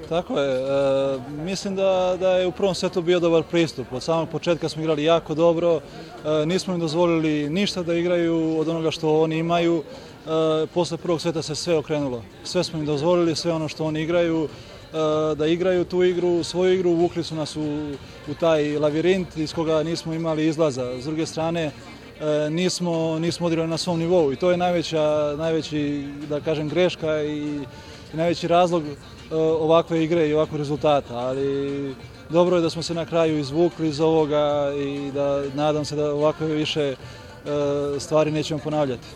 Tako je. Mislim da je u prvom setu bio dobar pristup. Od samog početka smo igrali jako dobro, nismo im dozvolili ništa da igraju od onoga što oni imaju. Posle prvog seta se sve okrenulo. Sve smo im dozvolili, sve ono što oni igraju, da igraju tu igru, svoju igru, uvukli su nas u taj lavirint iz koga nismo imali izlaza. S druge strane, nismo odigrali na svom nivou i to je najveći, da kažem, greška i najveći razlog ovakve igre i ovakvog rezultata, ali dobro je da smo se na kraju izvukli iz ovoga i da nadam se da ovakve više stvari nećemo ponavljati.